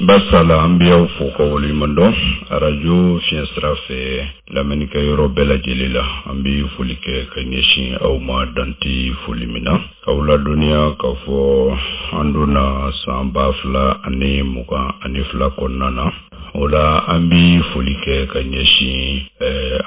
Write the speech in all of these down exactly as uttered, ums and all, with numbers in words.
Basala an bɛ aw fo ka waleɲuman dɔn arajo fiɲɛ sira fɛ lamɛnnikɛ yɔrɔ bɛɛ lajɛlen la. An bɛ foli kɛ ka ɲɛsin aw ma dante foli min na, k'aw ladɔnniya k'a fɔ an donna san ba fila ani mugan ani fila kɔnɔna na. O la an bɛ foli kɛ ka ɲɛsin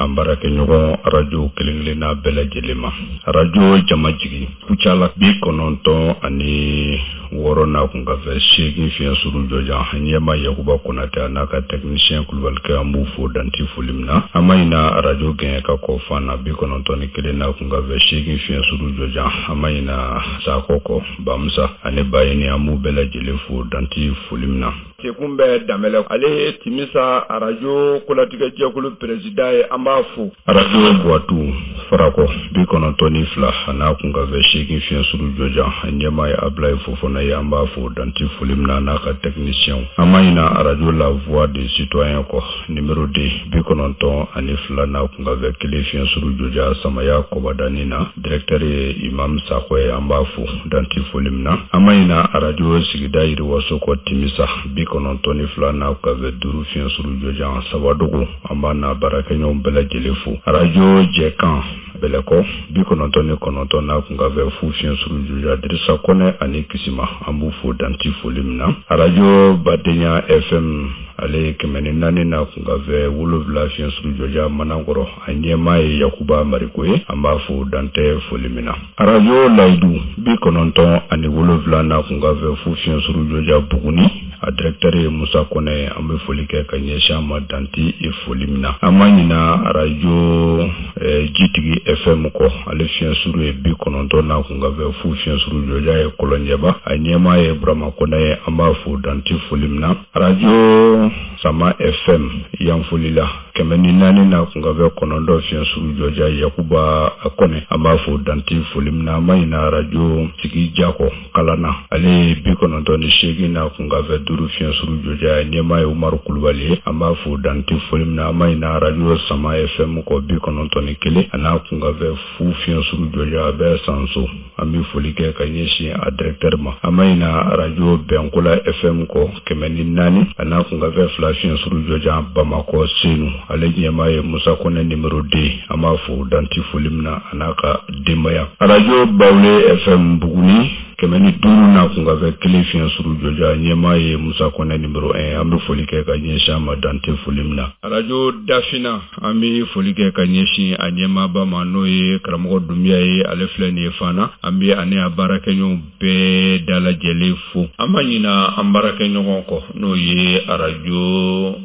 an baarakɛɲɔgɔn arajo kelen-kelenna bɛɛ lajɛlen ma. Arajo Jamajigi Kucala bi kɔnɔntɔn ani wɔɔrɔ n'a kun ka fɛ seegin fiɲɛ suru jɔjan, ɲɛma Yakuba Konatɛ a n'a ka technicien Kulubalikɛ, an b'u fo danti foli min na. An ma ɲina arajo gɛn ka kɔ fan na bi kɔnɔntɔn ni kelen n'a kun ka fɛ seegin fiɲɛ suru jɔjan. An ma ɲina Sakɔ kɔ Bamusa ani Bayini, an b'u bɛɛ lajɛlen fo danti foli min na. Sekun bɛ Danbɛlɛ, ale ye Timisa arajo kolatigɛ jɛkulu président ye, an b'a fo. Arajo Buwatu Farakɔ bi kɔnɔntɔn ni fila a n'a kun ka fɛ seegin fiɲɛ suru jɔjan, ɲɛmaa ye Abulaye Fofana ye, an b'a fo danti foli min na n'a ka technicien. An ma ɲina arajo La Voix des Citoyens kɔ numéro deux bi kɔnɔntɔn ani fila n'a kun ka fɛ kelen fiɲɛ suru jɔjan, Samaya Kɔbadani na, directeur ye Imam Sakɔ ye, an b'a fo danti foli min na. An ma ɲina arajo sigida yiriwaso kɔ Timisa bi kɔnɔntɔn ni fila n'a kun ka fɛ duuru fiɲɛ suru jɔjan, Sabadogo, an b'a n'a baarakɛɲɔgɔn bɛɛ lajɛlen fo. Arajo Jɛkan Bɛlɛkɔ bi kɔnɔntɔn ni kɔnɔntɔn n'a kun ka fɛ fu fiɲɛ suru jɔjan, Dirisa Kɔnɛ ani Kisima, an b'u fo danti foli min na. Arajo Badenya F M ale kɛmɛ ni naani n'a kun ka fɛ wolonwula fiɲɛ suru jɔjan Manankɔrɔ, a ɲɛmaa ye Yakuba Mariko ye, an b'a fo dantɛ foli min na. Arajo Layidu bi kɔnɔntɔn ani wolonwula n'a kun ka fɛ fu fiɲɛ suru jɔjan Buguni, a directeur ye Musa Kɔnɛ, an bɛ foli kɛ ka ɲɛsin a ma danti foli min na. An ma ɲina arajo Jitigi F M kɔ, ale fiɲɛ suru ye bi kɔnɔntɔn n'a kun ka fɛ fu fiɲɛ suru jɔjan ye Kɔlɔnjɛba, a ɲɛmaa ye Burama Kɔnɛ ye, an b'a fo danti foli min na. Arajo Sama F M Yanfolila kɛmɛ ni naani n'a kun ka fɛ kɔnɔntɔn fiɲɛ suru jɔjan, Yakuba Kɔnɛ, an b'a fo danti foli min na. An ma ɲina arajo Sigi Jakɔ Kalana, ale ye bi kɔnɔntɔn ni seegin n'a kun ka fɛ duuru fiɲɛ suru jɔjan, ɲɛmaa ye Umaru Kulubali ye, an b'a fo danti foli min na. An ma ɲina arajo Sama F M kɔ bi kɔnɔntɔn ni kelen a n'a kun ka fɛ fu fiɲɛ suru jɔjan, a bɛ Sanso, an bɛ foli kɛ ka ɲɛsin a directeur ma. An ma ɲina arajo Bɛnkola F M kɔ kɛmɛ ni naani a n'a kun ka fɛ fila fiɲɛ suru jɔjan, Bamakɔ Senu, ale ɲɛmaa ye Musa Kɔnɛ numéro deux, an b'a fo danti foli min na a n'a ka denbaya. Arajo Bawule F M Buguni kɛmɛ ni duuru n'a kun ka fɛ kelen fiɲɛ suru jɔjan, ɲɛmaa ye Musa Kɔnɛ numéro un, an bɛ foli kɛ ka ɲɛsin a ma dante foli min na. Arajo Dafina, an bɛ foli kɛ ka ɲɛsin a ɲɛmaaba ma, n'o ye karamɔgɔ Dunbiya ye, ale filɛ nin ye fana, an bɛ ani a baarakɛɲɔgɔn bɛɛ dalajɛlen fo. An ma ɲina an baarakɛɲɔgɔn kɔ, n'o ye arajo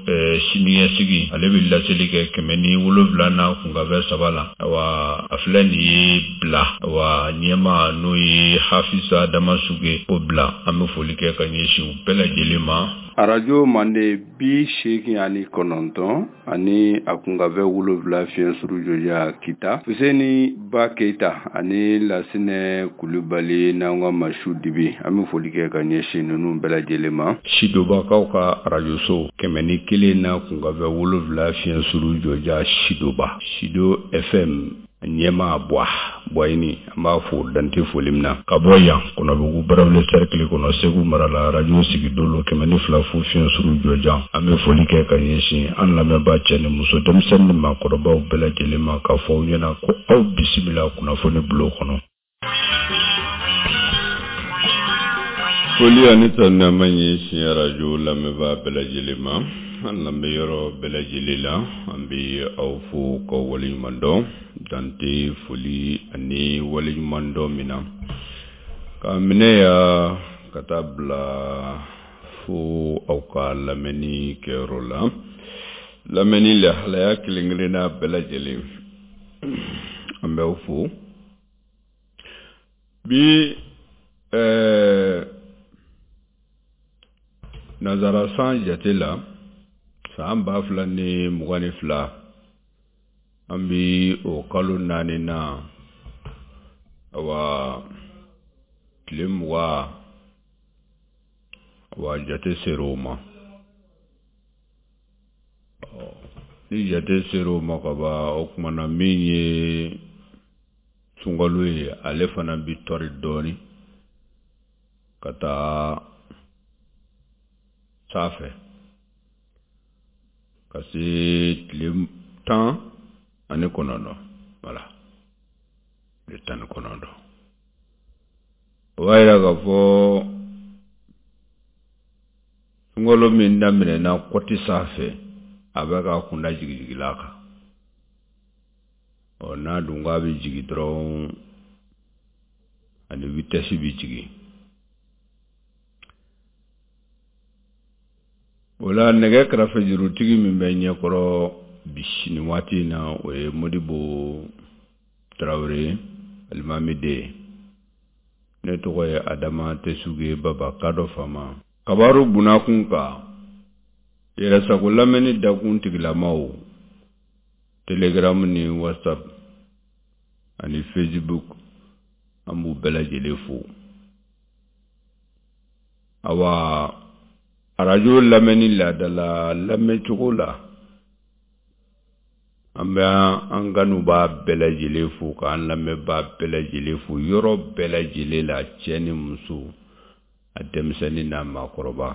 siniɲɛsigi, ale bɛ laseli kɛ kɛmɛ ni wolonwula n'a kun ka fɛ saba la. Awa a filɛ nin ye bila, awa ɲɛmaa n'o ye Hafisa Damasuge o bila, an bɛ foli kɛ ka ɲɛsin u bɛɛ lajɛlen ma. Arajo Mande bi seegin ani kɔnɔntɔn ani a kun ka fɛ wolonwula fiɲɛ suru jɔjan Kita, Fuseni Ba Keyita ani Lasinɛ Kulubali n'an ka Masu Dibi, an bɛ foli kɛ ka ɲɛsin ninnu bɛɛ lajɛlen ma. Sidobakaw ka arajoso kɛmɛ ni kelen n'a kun ka fɛ wolonwula fiɲɛ suru jɔjan Sidoba, Sido F M ɲɛmaa Buwa Buwayini, an b'a fo dante foli min na. Ka bɔ yan Kɔnɔbugu Barawuli cercle kɔnɔ Segu mara la, arajo Sigidolo kɛmɛ ni fila fu fiɲɛ suru jɔjan, an bɛ foli kɛ ka ɲɛsin an lamɛnbaa cɛ ni muso, denmisɛnnin ni maakɔrɔbaw bɛɛ lajɛlen ma, k'a fɔ aw ɲɛna ko aw bisimila kunnafoni bulon kɔnɔ. Foli ani tanuni an b'a ɲɛsin arajo lamɛnbaa bɛɛ lajɛlen ma, an lamɛn yɔrɔ bɛɛ lajɛlen la, an bɛ aw fo k'aw waleɲuman dɔn dante foli ani waleɲuman dɔn min na, k'a minɛ ya ka taa bila fo aw ka lamɛnni kɛyɔrɔ la, lamɛnni lahalaya kelen kelenna bɛɛ lajɛlen, an b'aw fo. Bi ɛɛ nazara san jate la, san ba fila ni mugan ni fila, an bi o kalo naani na, awa tile mugan, awa jate ser'o ma. Ni jate ser'o ma ka ban, o tuma na min ye sunkalo ye, ale fana bi tɔri dɔɔni ka taa sanfɛ ka se tile tan ani kɔnɔntɔn. Voilà, tile tan ni kɔnɔntɔn. O b'a yira k'a fɔ sunkalo min daminɛna kɔti sanfɛ, a bɛ ka kunda jigijigila kan. Ɔ n'a dun k'a bɛ jigin dɔrɔn, ani vitesse bɛ jigin. O la nɛgɛ kɛrɛfɛjurutigi min bɛ ɲɛkɔrɔ bi nin waati in na, o ye Modibo Tarawele alimami den. Ne tɔgɔ ye Adama Tesuge Baba Kadɔ Fama. Kabaru bunakun kan, yɛrɛsago lamɛnni dakun tigilamaw, Telegram ni WhatsApp ani Facebook, an b'u bɛɛ lajɛlen fo. Awa, arajo lamɛnni laadala lamɛncogo la, an bɛ an kanubaa bɛɛ lajɛlen fo, k'an lamɛnbaa bɛɛ lajɛlen fo yɔrɔ bɛɛ lajɛlen la, cɛ ni muso, a denmisɛnnin n'a maakɔrɔba.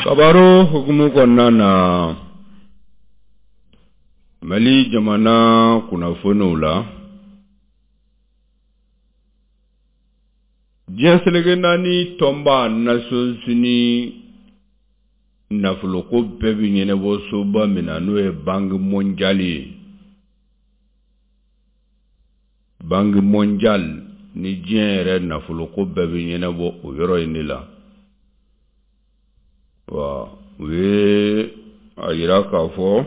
Kabaro hukumu kɔnɔna na, Mali jamana kunnafoniw la, diɲɛ seleke naani tɔnba Nations Unies nafoloko bɛɛ bɛ ɲɛnabɔ soba min na, n'o ye Banque mondiale ye. Banque mondiale ni diɲɛ yɛrɛ nafoloko bɛɛ bɛ ɲɛnabɔ o yɔrɔ in de la. Wa u ye a yira k'a fɔ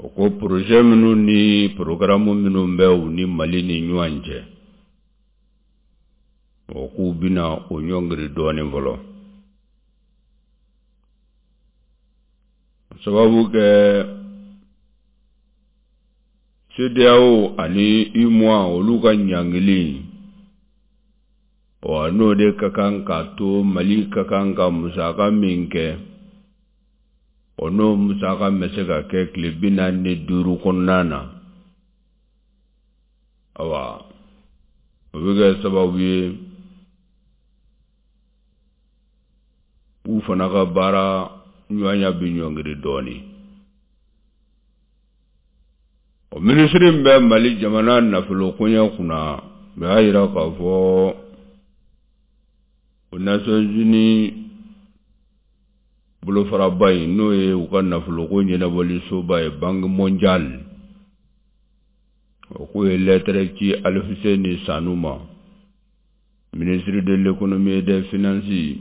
o ko projet minnu ni programme minnu bɛ u ni Mali ni ɲɔgɔn cɛ, o k'u bɛna o ɲɔngiri dɔɔnin fɔlɔ. Sababu kɛ CEDEAO ani UEMOA olu ka ɲangili, ɔ n'o de ka kan k'a to Mali ka kan ka musaka min kɛ, o n'o musaka bɛ se ka kɛ tile bi naani ni duuru kɔnɔna na. Awa, o bɛ kɛ sababu ye u fana ka baara ɲɔgɔnya bɛ ɲɔngiri dɔɔnin. O minisiri min bɛ Mali jamana nafolo koɲɛ kunna, o y'a yira k'a fɔ o Nations Unies bolofaraba in, n'o ye u ka nafoloko ɲɛnabɔli soba ye, Banque mondiale, o k'o ye lɛtɛrɛ ci Alifuseni Sanu ma, ministre de l'économie et des finances,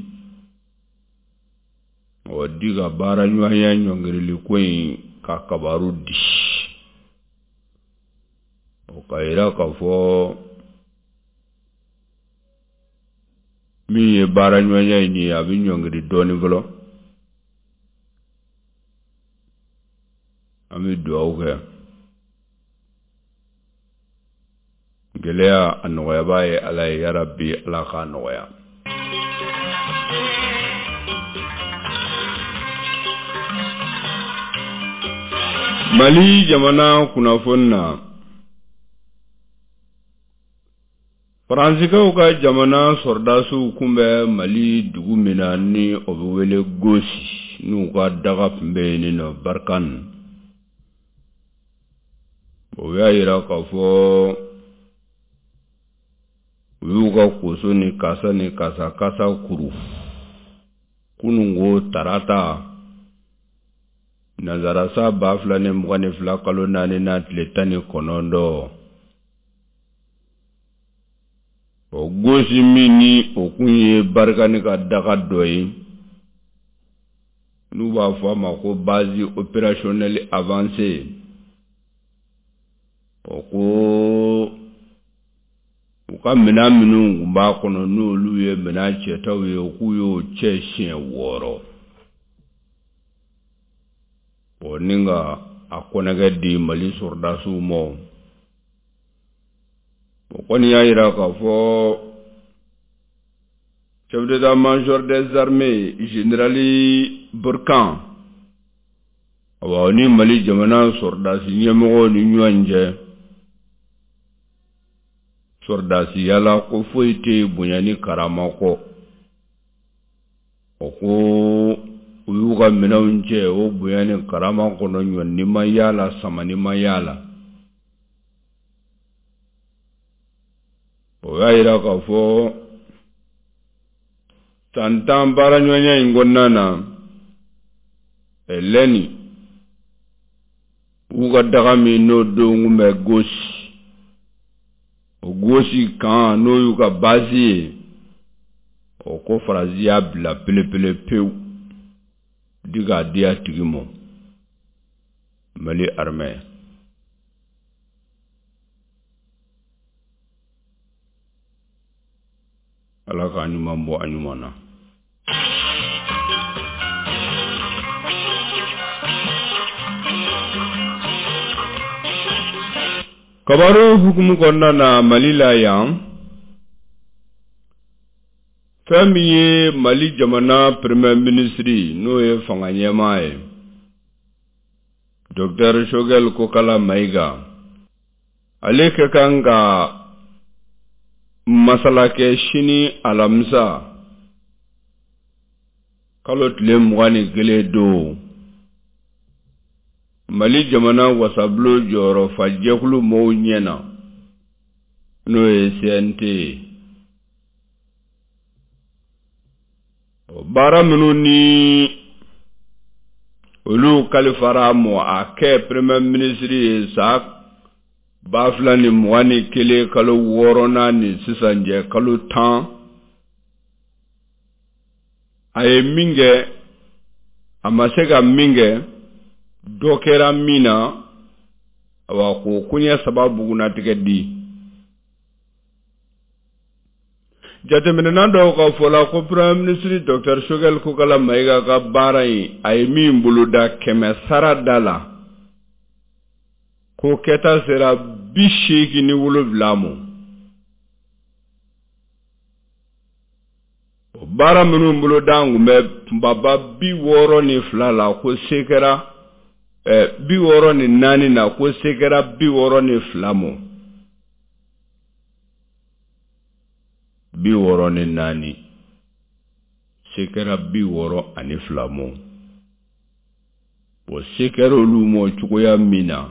o di ka baara ɲɔgɔnya ɲɔngirili ko in ka kabaru di. O ka yira k'a fɔ min ye baara ɲɔgɔnya in ye, a bɛ ɲɔngiri dɔɔnin fɔlɔ. An bɛ dugawu kɛ gɛlɛya a nɔgɔyabaa ye Ala ye, yarabi Ala k'a nɔgɔya. Mali jamana kunnafoni na, Faransikaw ka jamana sɔrɔdasiw kun bɛ Mali dugu min na, ni o bɛ wele Gosi, n'u ka daga tun bɛ yen nɔ Barkhane. O y'a yira k'a fɔ u y'u ka koso ni kasa ni kasa kasa kuru kununko tarata nanzarasa ba fila ni mugan ni fila kalo naani na tile tan ni kɔnɔntɔn. O Gosi min ni o kun ye Barkhane ka daga dɔ ye, n'u b'a fɔ a ma ko base opérationnelle avancée, o ko u ka minɛn minnu tun b'a kɔnɔ, n'olu ye minɛn cɛtaw ye, k'u y'o cɛ siɲɛ wɔɔrɔ. O ni ka a kɔnɛgɛ di Mali sɔrɔdasiw ma. O kɔni y'a yira k'a fɔ Chef d'état-major des armées général Burkan, awa ni Mali jamana sɔrɔdasi ɲɛmɔgɔw ni ɲɔgɔn cɛ sɔrɔdasiya la, ko foyi tɛ bonya ni karama kɔ. O ko u y'u ka minɛnw cɛ o bonya ni karama kɔnɔ, ɲɔni ma y'a la, samani ma y'a la. O y'a yira k'a fɔ san tan baaraɲɔgɔnya in kɔnɔna na, lɛni u ka daga min n'o don kun bɛ gosi, o gosi kan n'o y'u ka baasi ye, o ko Faransi y'a bila pelepele pewu di k'a di a tigi ma, Mali armée. Ala k'a ɲuman bɔ a ɲuman na. Kabaru hukumu kɔnɔna na Mali la yan, fɛn min ye Mali jamana premier ministre n'o ye fanga ɲɛmaa ye, Docteur Choguel Kokala Maïga, ale ka kan ka masala kɛ sini alamisa kalo tile mugan ni kelen don Mali jamana wasabulon jɔyɔrɔfajɛkulu mɔgɔw ɲɛna, n'o ye C N T ye. Baara minnu ni olu kalifara mɔ a kɛ premier ministre ye san ba fila ni mugan ni kelen kalo wɔɔrɔnan ni sisan cɛ kalo tan, a ye min kɛ, a ma se ka min kɛ, dɔ kɛra min na, awa k'o koɲɛ saba bugunnatigɛ di. Jateminɛna dɔw ka fɔ la ko premier ministre Docteur Choguel Kokala Maïga ka baara in, a ye min boloda kɛmɛ sara da la, ko kɛta sera bi seegin ni wolonwula ma. O baara minnu boloda kun bɛ kunbaba bi wɔɔrɔ ni fila la, ko se kɛra bi wɔɔrɔ ni naani na, ko se kɛra bi wɔɔrɔ ni fila ma. Bi wɔɔrɔ ni naani, se kɛra bi wɔɔrɔ ani fila ma. O se kɛra olu ma cogoya min na,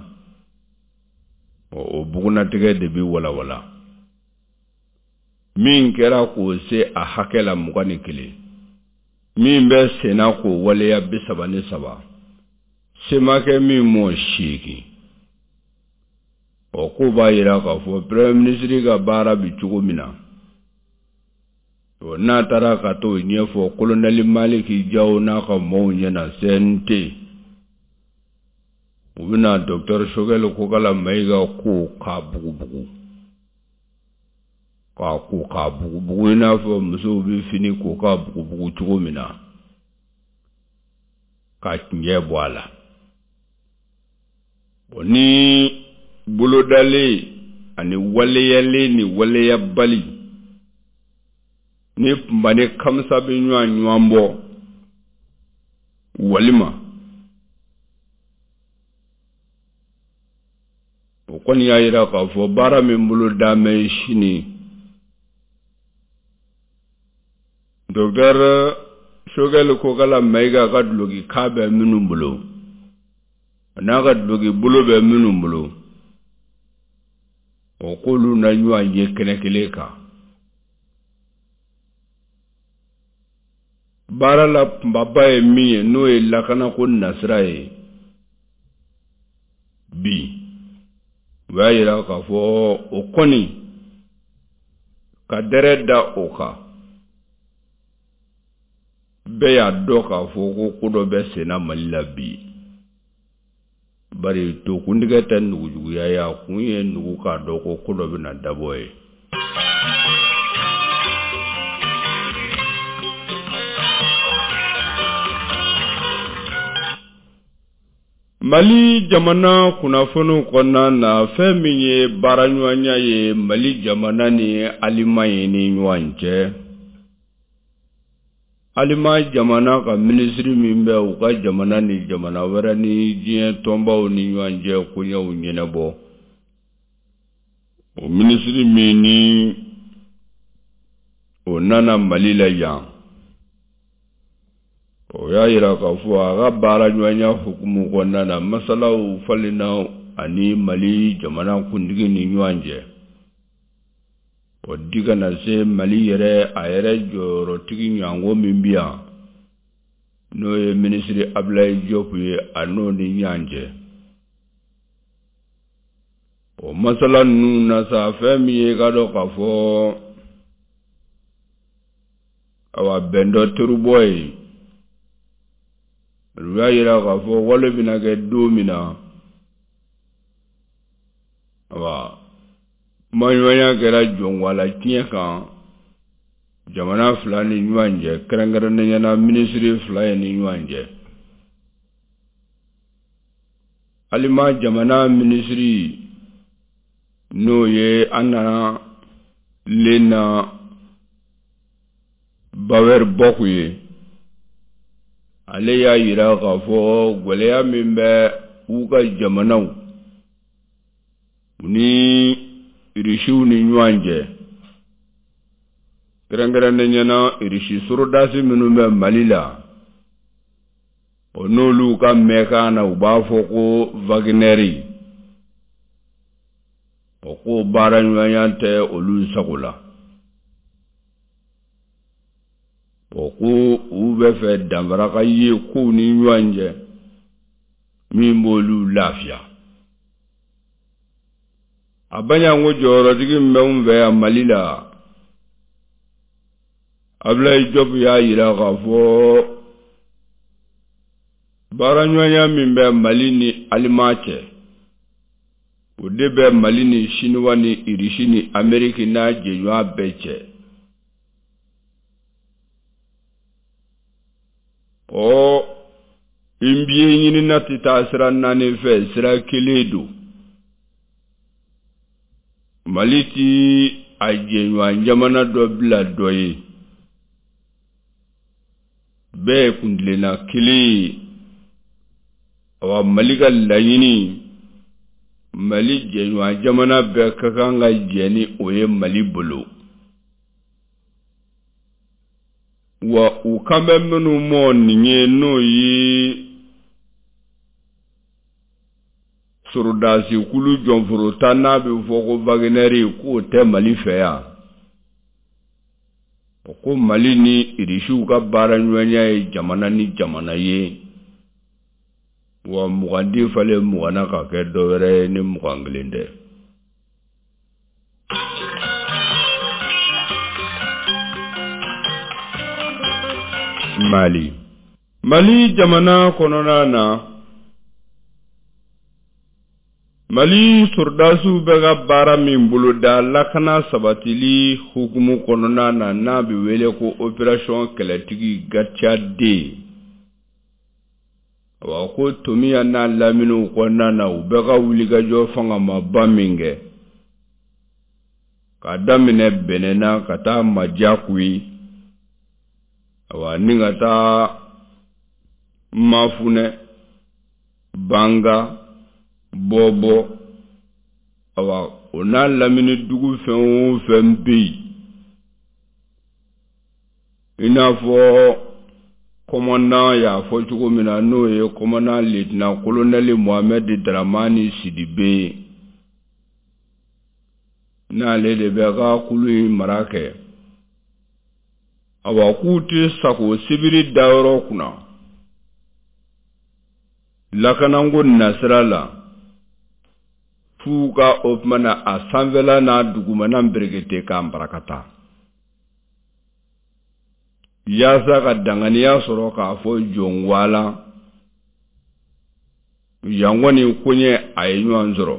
o bugunnatigɛ de bɛ walawala. Min kɛra k'o se a hakɛ la mugan ni kelen, min bɛ senna k'o waleya bi saba ni saba, se ma kɛ min mɔ seegin. O ko b'a yira k'a fɔ premier ministre ka baara bɛ cogo min na, o n'a taara ka t'o ɲɛfɔ colonel Maliki Jaw n'a ka mɔɔw ɲɛna C N T, u bɛna Docteur Choguel Kokala Maïga ko k'a bugubugu, k'a ko k'a bugubugu i n'a fɔ musow bɛ fini ko k'a bugubugu cogo min na, ka tiɲɛ bɔ a la. O ni bolodalen ani waleyalen ni waleyabali ni kunba ni kamisa bɛ ɲɔgɔn ɲɔgɔn bɔ walima o kɔni y'a yira k'a fɔ baara min bolo da mɛ sini, Docteur Choguel Kokala Maïga ka duloki kan bɛ minnu bolo, a n'a ka duloki bolo bɛ minnu bolo, o k'olu na ɲɔgɔn ye kɛnɛ kelen kan. Baara la kunbaba ye min ye, n'o ye lakanako nasira ye bi, u y'a yira k'a fɔ o kɔni ka dɛrɛ da o kan, bɛɛ y'a dɔn k'a fɔ ko ko dɔ bɛ senna Mali la bi. Bari tokuntigɛ tɛ nugujuguya ye, a kun ye nugu k'a dɔn ko ko dɔ bɛna dabɔ ye. Mali jamana kunnafoniw kɔnɔna na, fɛn min ye baaraɲɔgɔnya ye Mali jamana ni Alimaɲi ni ɲɔgɔn cɛ, Alima jamana ka minisiri min bɛ u ka jamana ni jamana wɛrɛ ni diɲɛ tɔnbaw ni ɲɔgɔn cɛ koɲɛw ɲɛnabɔ, o minisiri min ni o nana Mali la yan, o y'a yira k'a fɔ a ka baara ɲɔgɔnya hukumu kɔnɔna na, masalaw falenna ani Mali jamana kuntigi ni ɲɔgɔn cɛ. O di kana se Mali yɛrɛ a yɛrɛ jɔyɔrɔtigi ɲango min bi yan, n'o ye minisiri Abdoulaye Diop ye, a n'o ni ɲɔgɔn cɛ. O masala ninnu na sa, fɛn min ye ka dɔn k'a fɔ awa bɛn dɔ terubɔ ye, olu y'a yira k'a fɔ wale bɛna kɛ don min na, awa kumaɲɔgɔnya kɛra jɔnwala tiɲɛ kan jamana fila ni ɲɔgɔn cɛ, kɛrɛnkɛrɛnnenya la minisiri fila ye ni ɲɔgɔn cɛ. Alima jamana minisiri n'o ye Anna Lena Baerbock ye, ale y'a yira k'a fɔ gɛlɛya min bɛ u ka jamanaw ni Irisiw ni ɲɔgɔn cɛ, kɛrɛnkɛrɛnnenya la Irisi sorodasi minnu bɛ Mali la, o n'olu ka mɛnkan na u b'a fɔ ko Wagnɛri, o ko baara ɲɔgɔnya tɛ olu sago la. O ko u bɛ fɛ danfara ka ye kow ni ɲɔgɔn cɛ min b'olu lafiya. A baɲanko jɔyɔrɔtigi min bɛ n fɛ yan Mali la, Abdoulaye Diop y'a yira k'a fɔ baaraɲɔgɔnya min bɛ Mali ni Alima cɛ, o de bɛ Mali ni Siniwa ni Irisi ni Ameriki n'a jɛɲɔgɔn bɛɛ cɛ. Ɔ n biye ɲinina tɛ taa sira naani fɛ, sira kelen don. Mali ti a jɛɲɔgɔn jamana dɔ bila dɔ ye, bɛɛ ye kuntilenna kelen ye. Awa Mali ka laɲini, Mali jɛɲɔgɔn jamana bɛɛ ka kan ka jɛ ni o ye Mali bolo. Wa u kan bɛ minnu mɔ nin ye, n'o ye sorodasi kulu jɔnforota n'a bɛ fɔ ko Wagnɛri, k'o tɛ Mali fɛ yan. O ko Mali ni Irisiw ka baara ɲɔgɔnya ye jamana ni jamana ye, wa mugan di falen mugan na ka kɛ dɔ wɛrɛ ye ni mugan kelen tɛ. Mali Mali jamana kɔnɔna na, Mali sorodasiw bɛ ka baara min boloda lakana sabatili hukumu kɔnɔna na, n'a bɛ wele ko opération kɛlɛtigi Gatia D. Awa ko Tomiya n'a laminiw kɔnɔna na, u bɛ ka wulikajɔ fangamaba min kɛ k'a daminɛ Bɛnɛna ka taa Majakuyi, awa ni ka taa Mafunɛ, Banga, Bɔbɔ, awa o n'a lamini dugu fɛn o fɛn bɛ yen, i n'a fɔ commandant y'a fɔ cogo min na, n'o ye commandant lieutenant colonel Mohamed Dramani Sidibe ye, n'ale de bɛ ka kulu in mara kɛ. Awa k'u tɛ sago sibiri dayɔrɔ kunna lakananko nasira la, f'u ka o tuma na a sanfɛla n'a dugumana berekete k'a barakata, yaasa ka danganiya sɔrɔ k'a fɔ jɔnwala yan kɔni koɲɛ a ye ɲɔgɔn sɔrɔ.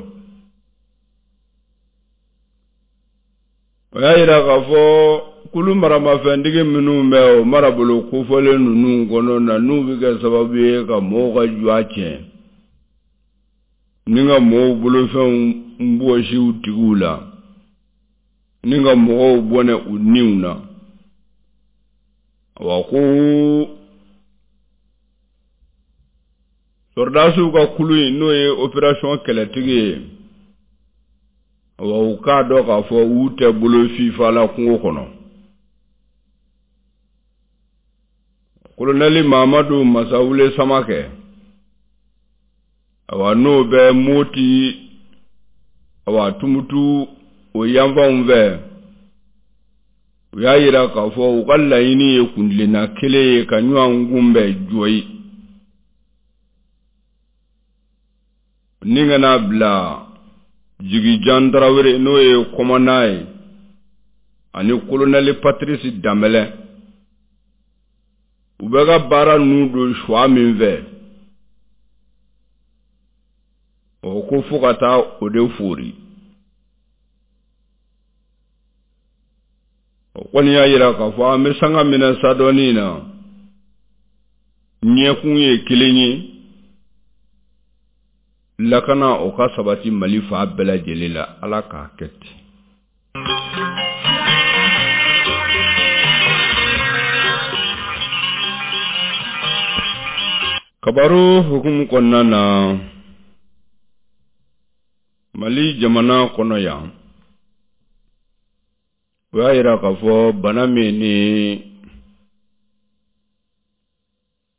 O y'a yira k'a fɔ kulu maramafɛntigi minnu bɛ o marabolo kofɔlen ninnu kɔnɔ na, n'u bɛ kɛ sababu ye ka mɔgɔw ka jɔ tiɲɛ ni ka mɔgɔw bolofɛnw bɔsi u tigiw la, ni ka mɔgɔw bɔnɛ u niw na. Wa ko sɔrɔdasiw ka kulu in, n'o ye opération kɛlɛtigi ye, wa u k'a dɔn k'a fɔ u tɛ bolo fifa la kungo kɔnɔ. Kolonɛli Mamadu Masawule Samakɛ, awa n'o bɛ Moti, awa Tumutu o yanfanw fɛ, u y'a yira k'a fɔ u ka laɲini ye kuntilenna kelen ye ka ɲɔgɔn kunbɛn Joyi ni kana bila Jigijan Tarawele, n'o ye kɔmanda ye, ani kolonɛli Patrice Danbɛlɛ, u bɛ ka baara ninnu don suwa min fɛ, o ko fo ka taa o de fori. O kɔni y'a yira k'a fɔ an bɛ sanga min na sa dɔɔnin na, ɲɛkun ye kelen ye, lakana o ka sabati Mali fan bɛɛ lajɛlen la. Ala k'a kɛ ten. Kabaru hukumu kɔnɔna na, Mali jamana kɔnɔ yan, o y'a yira k'a fɔ bana min ni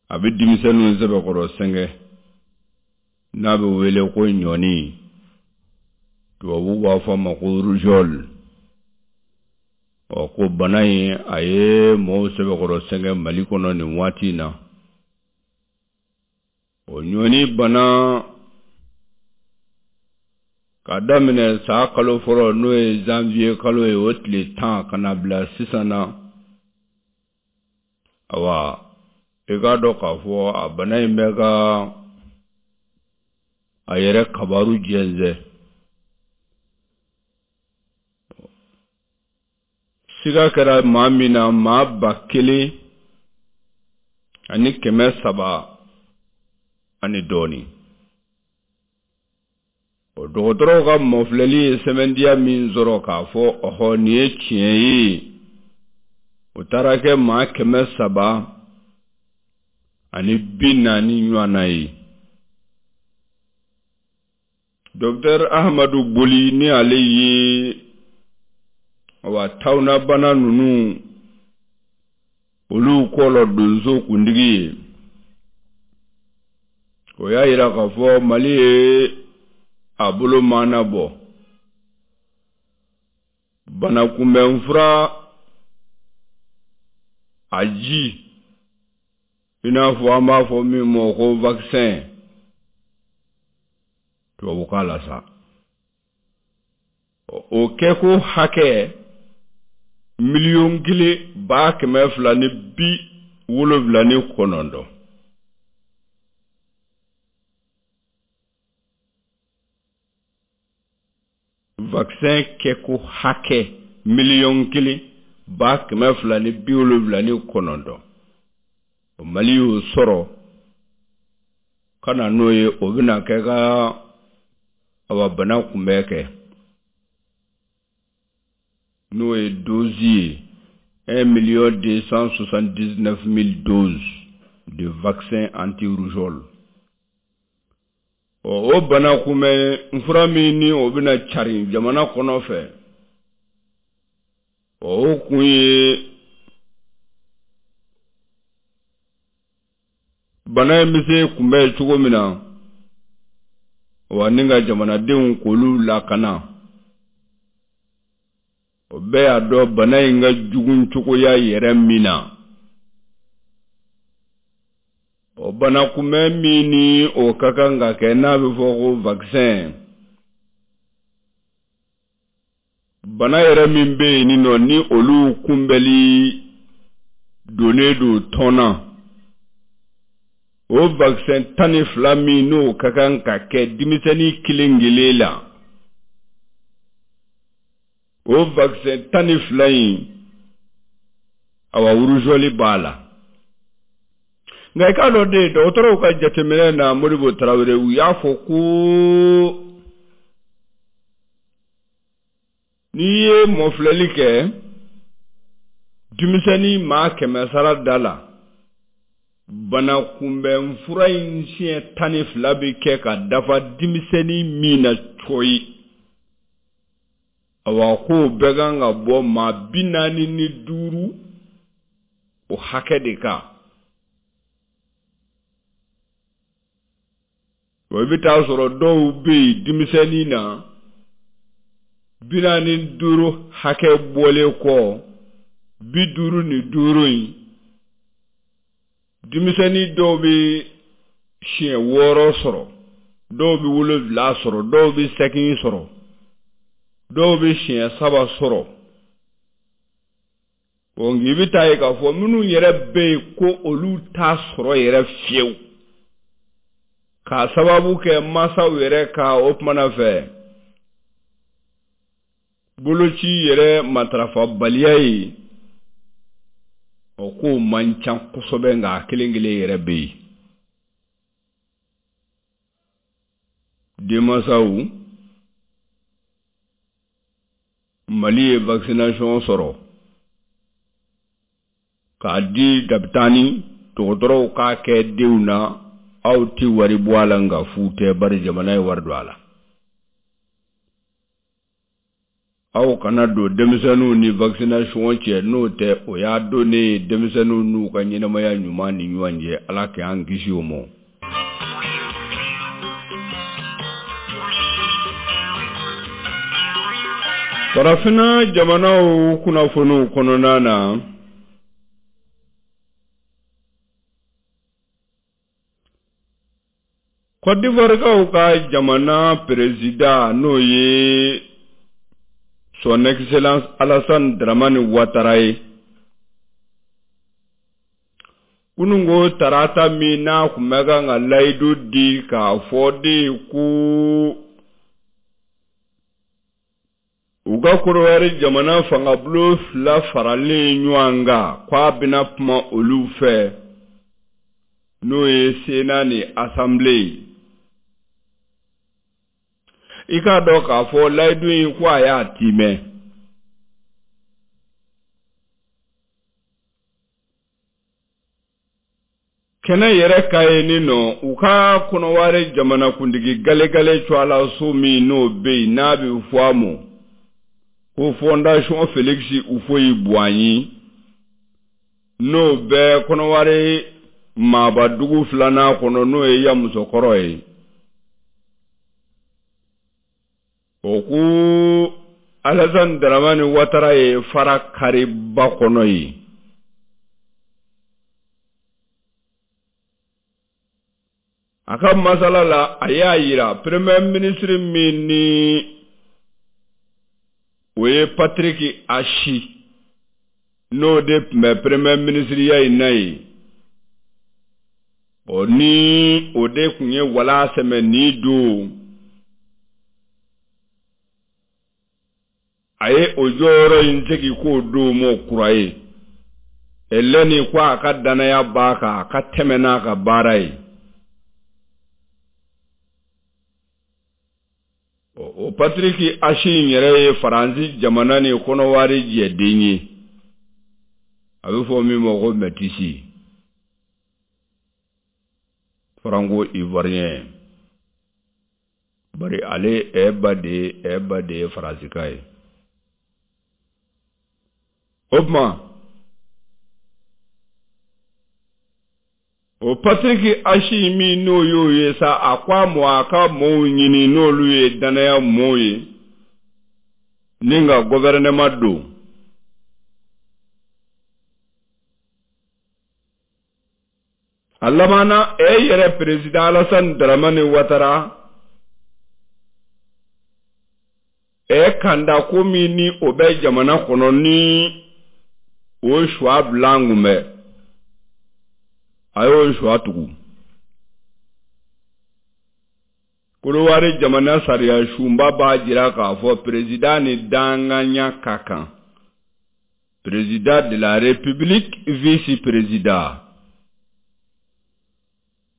a bɛ denmisɛnninw sɛbɛkɔrɔ sɛgɛn, n'a bɛ wele ko ɲɔni, tubabuw b'a fɔ a ma ko rougeole. Ɔ ko bana in a ye mɔgɔw sɛbɛkɔrɔ sɛgɛn Mali kɔnɔ nin waati in na. O ɲɔni bana ka daminɛ san kalo fɔlɔ, n'o ye janvier kalo ye, o tile tan ka na bila sisan na, awa i k'a dɔn k'a fɔ a bana in bɛ ka a yɛrɛ kabaru jɛnsɛn. Siga kɛra maa min na, maa ba kelen ani kɛmɛ saba ani dɔɔnin. O dɔgɔtɔrɔw ka mɔfilɛli ye sɛbɛntiya min sɔrɔ k'a fɔ ɔhɔ nin ye tiɲɛ ye, o taara kɛ maa kɛmɛ saba ani bi naani ɲɔgɔnna ye. Docteur Ahmadu Boli, ni ale ye awa tawunabana ninnu olu kɔlɔ donso kuntigi ye, o y'a yira k'a fɔ Mali ye a bolo maana bɔ banakunbɛnfura a ji, i n'a fɔ an b'a fɔ min ma ko vaccin tubabukan la sa, o kɛko hakɛ miliyɔn kelen ba kɛmɛ fila ni bi wolonwula ni kɔnɔntɔn. Vaccin kɛko hakɛ miliyɔn kelen ba kɛmɛ fila ni bi wolonwula ni kɔnɔntɔn, o Mali y'o sɔrɔ ka na n'o ye, o bɛna kɛ ka awa bana kunbɛn kɛ, n'o ye dose ye un million deux cent soixante-dix-neuf mille doses de vaccin anti-rougeole. Ɔ o bana kunbɛn fura min ni o bɛna carin jamana kɔnɔ fɛ, ɔ o kun ye bana in bɛ se kunbɛn cogo min na, wa ni ka jamanadenw k'olu lakana. O bɛɛ y'a dɔn bana in ka jugu cogoya yɛrɛ min na. O bana kunbɛn min ni o ka kan ka kɛ, n'a bɛ fɔ ko vaccin, bana yɛrɛ min bɛ yen nɔ ni olu kunbɛnli donnen don tɔn na, o vaccin tan ni fila min n'o ka kan ka kɛ denmisɛnnin kelen kelen la, o vaccin tan ni fila in, awa rougeole b'a la. Nka i k'a dɔn de, dɔgɔtɔrɔw ka jateminɛ na, Modibo Tarawele, u y'a fɔ ko n'i ye mɔfilɛli kɛ Denmisɛnnin maa kɛmɛ sara da la, bana kunbɛn fura in siɲɛ tan ni fila bɛ kɛ ka dafa denmisɛnnin min na cɔyi. Awa, k'o bɛɛ kan ka bɔ maa bi naani ni duuru o hakɛ de kan. O i bɛ taa sɔrɔ dɔw bɛ yen denmisɛnnin na bi naani ni duuru hakɛ bɔlen kɔ bi duuru ni duuru in, denmisɛnnin dɔw bɛ siɲɛ wɔɔrɔ sɔrɔ, dɔw bɛ wolonwula sɔrɔ, dɔw bɛ seegin sɔrɔ, dɔw bɛ siɲɛ saba sɔrɔ. Nka i bɛ taa ye k'a fɔ minnu yɛrɛ bɛ yen ko olu t'a sɔrɔ yɛrɛ fiyewu, k'a sababu kɛ mansaw yɛrɛ ka o kumana fɛ boloci yɛrɛ matarafabaliya ye, o kow man ca kosɛbɛ, nka a kelen kelen yɛrɛ bɛ yen. Denmansaw, Mali ye vaccination sɔrɔ k'a di dabitani dɔgɔtɔrɔw k'a kɛ denw na, aw ti wari bɔ a la, nka fu tɛ, bari jamana ye wari don a la. Aw kana don denmisɛnninw ni vaccination cɛ, n'o tɛ o y'a donnen ye denmisɛnninw n'u ka ɲɛnamaya ɲuman ni ɲɔgɔn cɛ. Ala k'an kisi o ma. Farafinna jamanaw kunnafoniw kɔnɔna na, Côte d'Ivoire ka jamana président, n'o ye Son Excellence Alassane Dramane Ouattara ye, kununko tarata min n'a tun bɛ kan ka layidu di k'a fɔ de ko u ka Korowari jamana fangabulon fila faralen ɲɔgɔn kan, k'a bɛna kuma olu fɛ, n'o ye Sénat ni Assemblée ye. I k'a dɔn k'a fɔ layidu in ko a y'a timɛ. Kɛnɛ yɛrɛ ka ye nin nɔ, u ka Kɔnɔwari jamanakuntigi galegale cɔla so min n'o bɛ yen n'a bɛ fɔ a ma ko Fondation Félix Houphouët-Boigny, n'o bɛ Kɔnɔwari maabadugu filanan kɔnɔ, n'o ye Yamusokɔrɔ ye. O ko Alassane Dramane Ouattara ye fara kariba kɔnɔ ye. A ka masala la, a y'a yira premier ministre min ni o ye Patrick Achi, n'o de tun bɛ premier ministre ya in na yen, o ni o de tun ye wala sɛmɛ nin don, a ye o jɔyɔrɔ in segin k'o don m'o kura ye. Eleni ko a ka danaya b'a kan, a ka tɛmɛ n'a ka baara ye. O Patrick Achi in yɛrɛ ye Faransi jamana ni Kɔnɔwari jɛden ye, a bɛ fɔ min ma ko métis, franco-ivoirien, bari ale ɛ ba de ye ɛ ba de ye Faransika ye. O tuma o Patrick Achi min n'o y'o ye sa, a ko a ma a ka mɔɔw ɲini n'olu ye danaya mɔɔw ye ni ka gouvernement don. A labanna e yɛrɛ président Alassane Dramane Ouattara e kanda ko min ni o bɛ jamana kɔnɔ ni o suwa bila an kun bɛ, a y'o suwa tugu. Korowari jamana sariya sunba b'a jira k'a fɔ président ni danganya ka kan, président de la République, vice-président.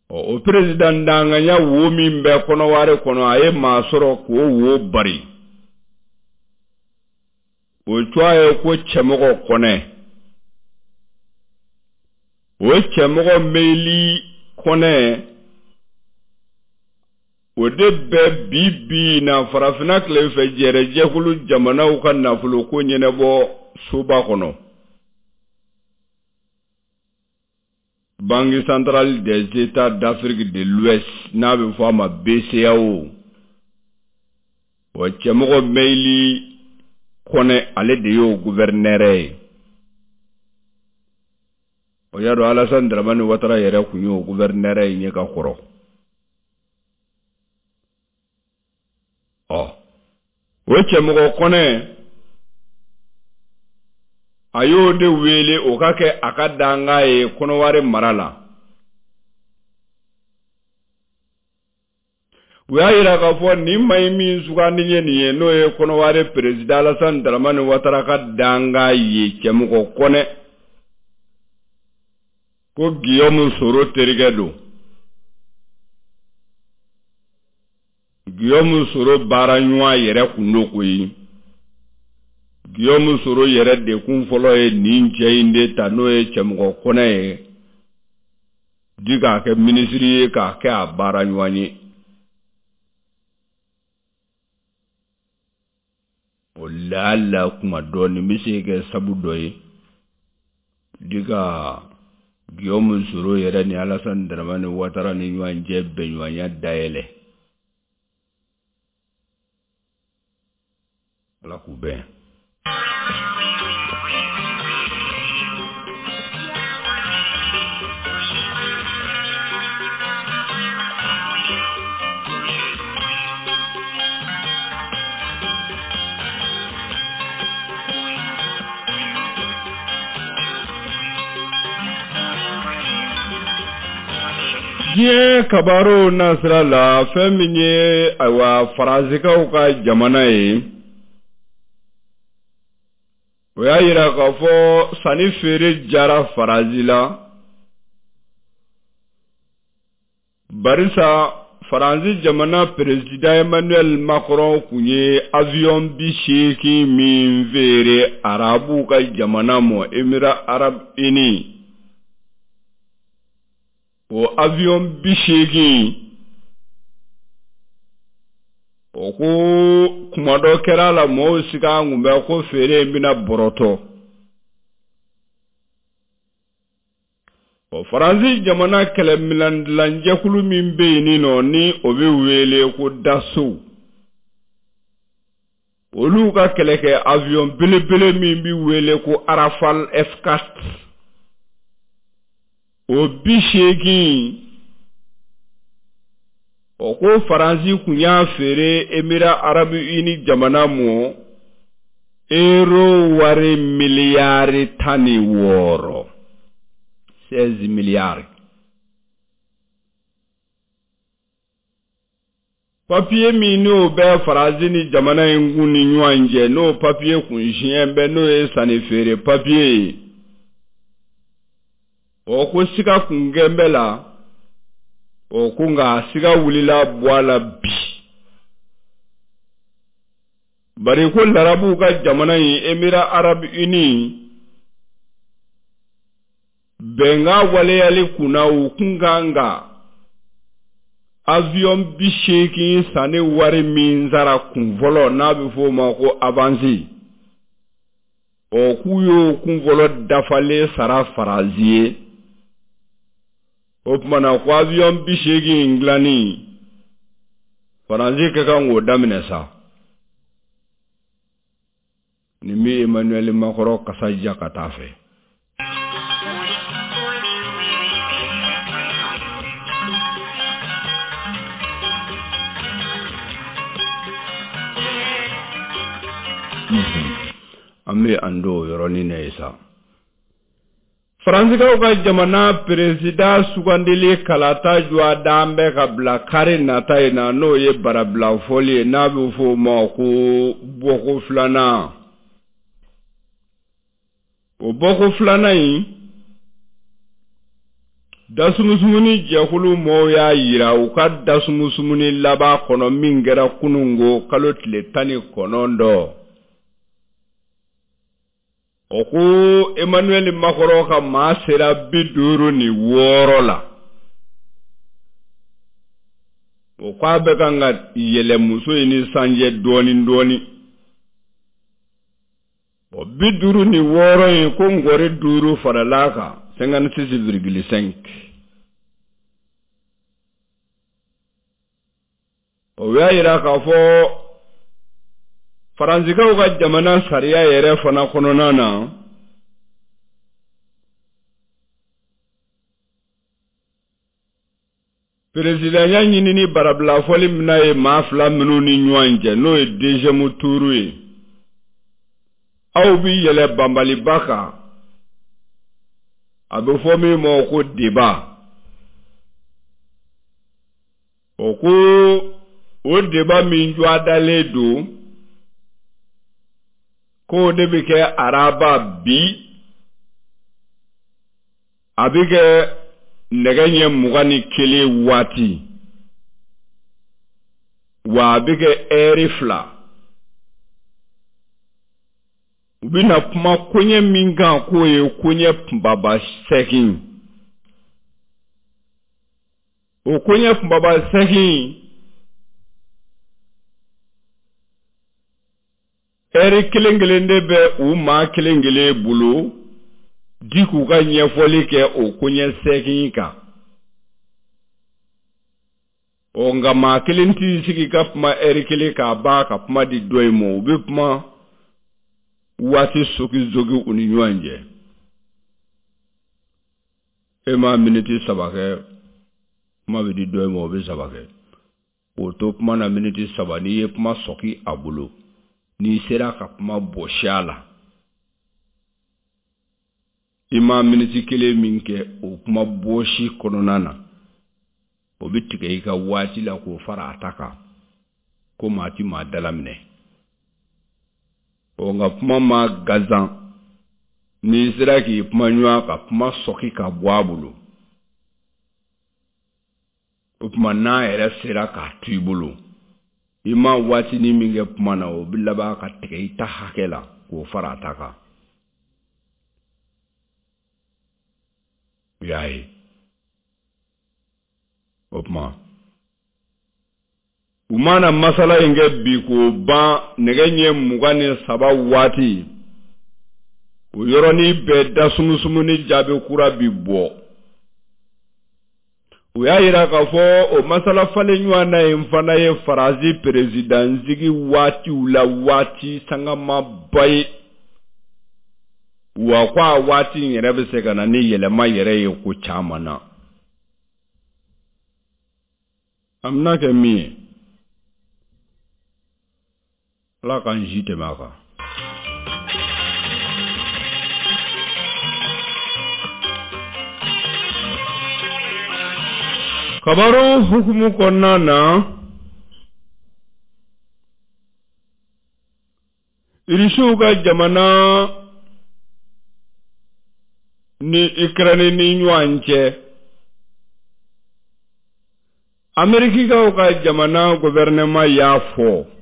O président danganya wo min bɛ Kɔnɔwari kɔnɔ, a ye maa sɔrɔ k'o wo bari. O tɔgɔ ye ko Cɛmɔgɔ Kɔnɛ. O cɛmɔgɔ Meyili Kɔnɛ o de bɛ bi bi na farafinna tilefɛ jɛrɛjɛkulu jamanaw ka nafoloko ɲɛnabɔ soba kɔnɔ. Banque centrale des États d'Afrique de l'Ouest n'a bɛ fɔ a ma B C A O. O cɛmɔgɔ Meyili Kɔnɛ ale de y'o gouverneur ye. O y'a dɔn Alassane Dramane Ouattara yɛrɛ kun y'o gouverneur ye ɲɛ ka kɔrɔ. Ɔ o cɛmɔgɔ Kɔnɛ a y'o de wele o ka kɛ a ka danga ye Kɔnɔwari mara la. U y'a yira k'a fɔ nin maa in min sugandi ye nin ye n'o ye Kɔnɔwari président Alassane Dramane Ouattara ka danga ye cɛmɔgɔ Kɔnɛ ko Guillaume Soro terikɛ don. Guillaume Soro baara ɲɔgɔn yɛrɛ kun don koyi. Guillaume Soro yɛrɛ de kun fɔlɔ ye nin cɛ in de ta n'o ye cɛmɔgɔ Kɔnɛ ye di k'a kɛ minisiri ye k'a kɛ a baara ɲɔgɔn ye. O laala kuma dɔɔnin bɛ se kɛ sabu dɔ ye di ka Guillaume Soro yɛrɛ ni Alassane Dramane Ouattara ni ɲɔgɔn cɛ bɛnɲɔgɔnya dayɛlɛ. Ala k'u bɛn. Diɲɛ kabaro nasira la fɛn min ye ayiwa Faransikaw ka jamana ye, o y'a yira k'a fɔ sanni feere jara Faransi la barisa Faransi jamana président Emmanuel Macron kun ye avion bi seegin min feere Arabuw ka jamana ma Émirats arabes unis. O avion bi seegin o ko kuma dɔ kɛra la mɔgɔw siga kun bɛ ko feere in bɛna bɔrɔtɔ. O Faransi jamana kɛlɛminɛndilanjɛkulu min bɛ yen nɔ ni o bɛ wele ko Dassault, olu ka kɛlɛkɛ avion belebele min bɛ wele ko Rafale F quatre o bi seegin o ko Faransi kun y'a feere Émirats arabes unis jamana ma euro wari miliyari tan ni wɔɔrɔ seize milliards. Papiye min n'o bɛ Faransi ni jamana in kun ni ɲɔgɔn cɛ n'o papiye kun siɲɛ bɛ n'o ye sanni feere papiye ye, o ko siga kun kɛn bɛ la, o ko nka siga wulila bɔ a la bi. Bari ko larabuw ka jamana in Émirats arabes unis bɛnkan waleyali kunna u kun kan ka avion bi seegin sanni wari min sara kun fɔlɔ n'a bɛ f'o ma ko avance, o k'u y'o kun fɔlɔ dafalen sara Faransi ye. O tuma na ko avion bi seegin in dilanni Faransi ka kan k'o daminɛ sa. Nin bɛ Emmanuel Macron kasa ja ka taa fɛ. An bɛ an don o yɔrɔnin na ye sa. Faransikaw ka jamana président sugandili kalata jɔ dan bɛ ka bila kari nata in na n'o ye barabila fɔli ye n'a bɛ f'o ma ko bɔko filanan. O bɔko filanan in dasumusumuni jɛkulu mɔɔw y'a yira u ka dasumusumuni laban kɔnɔ min kɛra kunungo kalo tile tan ni kɔnɔntɔn. O ko Emmanuel Macron ka maa sera bi duuru ni wɔɔrɔ la. O ko a bɛ kan ka yɛlɛ muso in ni sanjɛ dɔɔni dɔɔni. O bi duuru ni wɔɔrɔ in ko nkɔri duuru farala a kan cinquante-six virgule cinq. O y'a yira k'a fɔ Faransikaw ka jamana sariya yɛrɛ fana kɔnɔna na perezidanya ɲinini barabila fɔli mina ye maa fila minnu ni ɲɔgɔn cɛ n'o ye deuxième tour ye aw bi yɛlɛ banbaliba kan a bɛ fɔ min ma ko débat o ko o débat min jɔdalen don k'o de bɛ kɛ araba bi a bɛ kɛ nɛgɛ ɲɛ mugan ni kelen waati wa a bɛ kɛ ɛri fila u bɛna kuma koɲɛ min kan k'o ye koɲɛ kunbaba seegin o koɲɛ kunbaba seegin ɛri kelen kelen de bɛ u maa kelen kelen bolo di k'u ka ɲɛfɔli kɛ o koɲɛ seegin kan ɔ nka maa kelen t'i sigi ka kuma ɛri kelen k'a ban ka kuma di dɔ in ma u bɛ kuma waati soki-soki u ni ɲɔgɔn cɛ e ma miniti saba kɛ kuma bɛ di dɔ in ma o bɛ saba kɛ k'o to kuma na miniti saba n'i ye kuma sɔki a bolo n'i sera ka kuma bɔsi a la i ma miniti kelen min kɛ o kuma bɔsi kɔnɔna na o bɛ tigɛ i ka waati la k'o fara a ta kan ko maa ti maa dalaminɛ ɔ nka kuma ma gansan n'i sera k'i kuma ɲɔgɔn ka kuma sɔki ka bɔ a bolo o tuma n'a yɛrɛ sera k'a to i bolo i ma waatinin min kɛ kuma na o bɛ laban ka tigɛ i ta hakɛ la k'o fara a ta kan u y'a ye o tuma u mana masala in kɛ bi k'o ban nɛgɛ ɲɛ mugan ni saba waati o yɔrɔnin bɛɛ da sumusumuni jaabi kura bi bɔ u y'a yira k'a fɔ o masala falen ɲɔgɔn na in fana ye Faransi perezidansigi waatiw la waati sangamaba ye wa ko a waati in yɛrɛ bɛ se ka na ni yɛlɛma yɛrɛ ye ko caman na a bɛna kɛ min ye Ala k'an si tɛmɛ a kan. Kabaru hukumu kɔnɔna na Irisiw ka jamana ni Ukraine ni ɲɔgɔn cɛ Amerikikaw ka jamana gouvernement y'a fɔ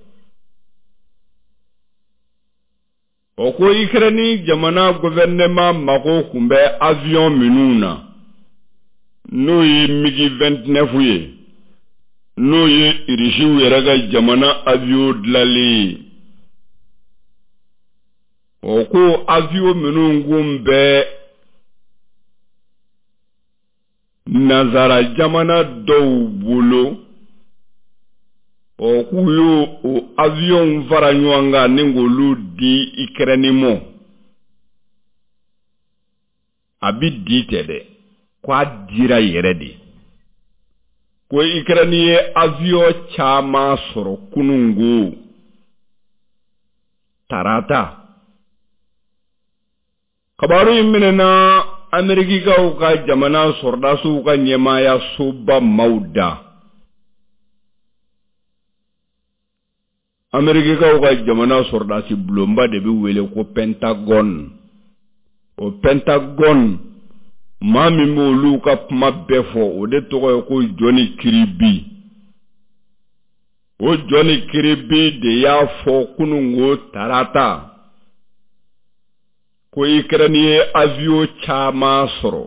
o ko Ukraine jamana gouvernement mago tun bɛ avion minnu na n'o ye MiG vingt-neuf ye n'o ye Irisiw yɛrɛ ka jamana avion dilanlen ye o ko avion minnu kun bɛ Nazara jamana dɔw bolo o k'u y'o o avion fara ɲɔgɔn kan ni k'olu di Ukraine ma a bi di tɛ dɛ ko a dira yɛrɛ de ko Ukraine ye avion caman sɔrɔ kunungo tarata kabaru in minɛna Amerikikaw ka jamana sɔrɔdasiw ka ɲɛmaayasoba maaw da Amerikikaw ka jamana sɔrɔdasi bulonba de bɛ wele ko Pentagone o Pentagone maa min b'olu ka kuma bɛɛ fɔ o de tɔgɔ ye ko Johnny Kirby o Johnny Kirby de y'a fɔ kunungo tarata Ko Ukraine ye avion caman sɔrɔ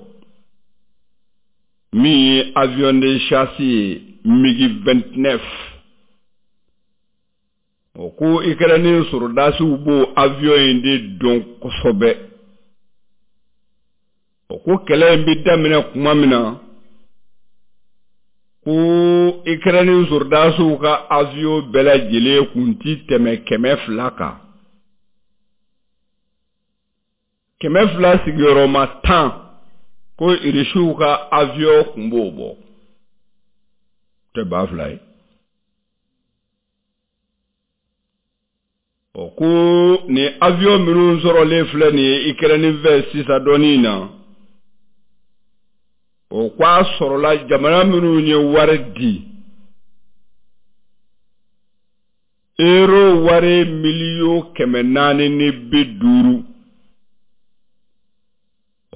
min ye avion de chasse ye MiG vingt-neuf. O ko Ukraine sɔrɔdasiw b'o avion in de dɔn kosɛbɛ. O ko kɛlɛ in bɛ daminɛ kuma min na, ko Ukraine sɔrɔdasiw ka avion bɛɛ lajɛlen kun ti tɛmɛ kɛmɛ fila kan. Kɛmɛ fila sigiyɔrɔma tan, ko irisiw ka avion kun b'o bɔ. Tɛ ba fila ye. O ko nin avion minnu sɔrɔlen filɛ nin ye Ukraine fɛ sisan dɔɔnin na, o ko a sɔrɔla jamana minnu ye wari di, euro wari miliyɔn kɛmɛ naani ni bi duuru.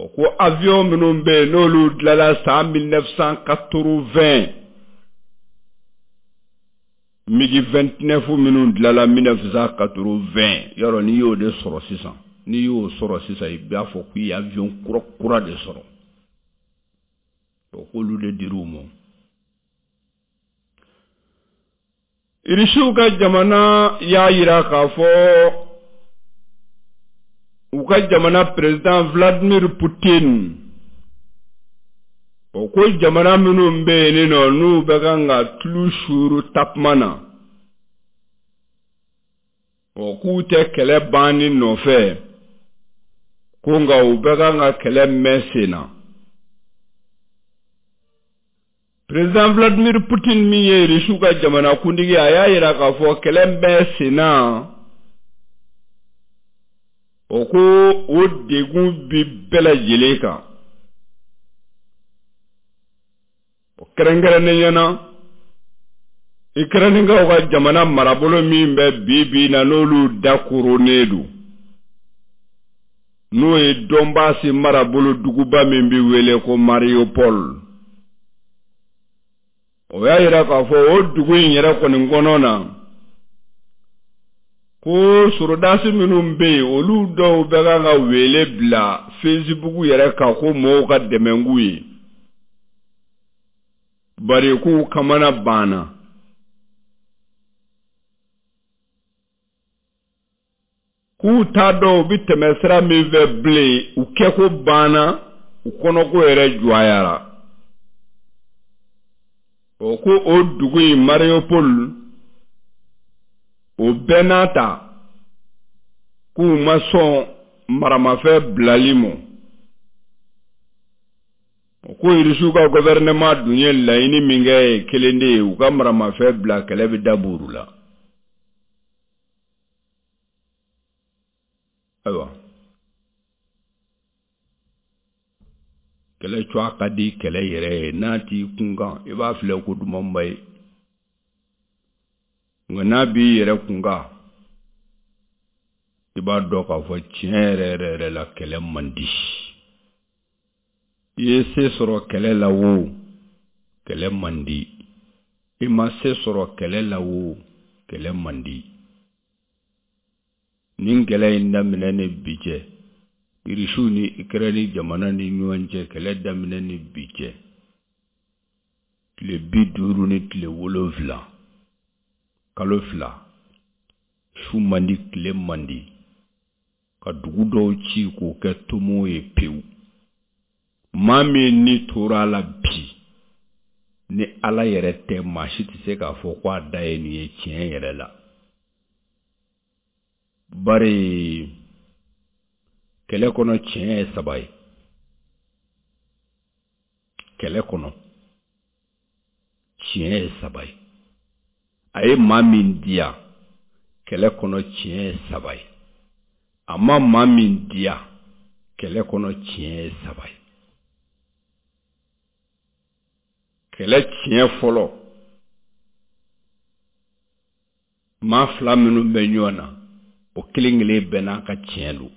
O ko avion minnu bɛ yen n'olu dilanna san mille neuf cent quatre-vingts, MiG vingt-neuf minnu dilanna mille neuf cent quatre-vingts, yɔrɔ n'i y'o de sɔrɔ sisan, n'i y'o sɔrɔ sisan i b'a fɔ k'i ye avion kura kura de sɔrɔ. O k'olu de dir'u ma. Irisiw ka jamana y'a yira k'a fɔ u ka jamana président Vladimir Poutine, o ko jamana minnu bɛ yen nɔ n'u bɛ kan ka tulu suuru takuma na, o k'u tɛ kɛlɛ banni nɔfɛ, ko nka u bɛ kan ka kɛlɛ mɛn sen na. Président Vladimir Poutine min ye Irisiw ka jamanakuntigi ye, a y'a yira k'a fɔ kɛlɛ bɛ sen na, o ko o degun bi bɛɛ lajɛlen kan. O kɛrɛnkɛrɛnnenya na, Ukrainekaw ka jamana marabolo min bɛ bi bi na n'olu dakoronnen don, n'o ye Donbass marabolo duguba min bɛ wele ko Mariupol. O y'a yira k'a fɔ o dugu in yɛrɛ kɔni kɔnɔ na, ko sɔrɔdasi minnu bɛ yen, olu dɔw bɛ kan ka wele bila Facebook yɛrɛ kan ko mɔgɔw ka dɛmɛ k'u ye, bari k'u kamana banna. K'u t'a dɔn u bɛ tɛmɛ sira min fɛ bilen, u kɛko banna, u kɔnɔko yɛrɛ jɔyara. O ko o dugu in Mariupol, o bɛɛ n'a ta k'u ma sɔn maramafɛn bilali ma. O ko Irisiw ka gouvernement dun ye laɲini min kɛ ye kelen de ye, u ka maramafɛn bila kɛlɛ bɛ dabɔ olu la. Ayiwa, kɛlɛ cogoya ka di kɛlɛ yɛrɛ ye, n'a t'i kun kan i b'a filɛ ko dumanba ye, nka n'a b'i yɛrɛ kun kan i b'a dɔn k'a fɔ tiɲɛ yɛrɛ yɛrɛ yɛrɛ la kɛlɛ man di. I ye se sɔrɔ kɛlɛ la o, kɛlɛ man di. I ma se sɔrɔ kɛlɛ la o, kɛlɛ man di. Nin kɛlɛ in daminɛ ni bi cɛ, Irisiw ni Ukraine jamana ni ɲɔgɔn cɛ kɛlɛ daminɛ ni bi cɛ, tile bi duuru ni tile wolonfila, kalo fila, su man di tile man di, ka dugu dɔw ci k'o kɛ tomo ye pewu. Maa min ni tora a la bi, ni Ala yɛrɛ tɛ, maa si tɛ se k'a fɔ ko a da ye nin ye tiɲɛ yɛrɛ la. Bari kɛlɛ kɔnɔ tiɲɛ ye saba ye. Kɛlɛ kɔnɔ tiɲɛ ye saba ye. A ye maa min diya, kɛlɛ kɔnɔ tiɲɛ ye saba ye. A ma maa min diya, kɛlɛ kɔnɔ tiɲɛ ye saba ye. Kɛlɛ tiɲɛ fɔlɔ, maa fila minnu bɛ ɲɔgɔn na, o kelen kelen bɛɛ n'a ka tiɲɛ don.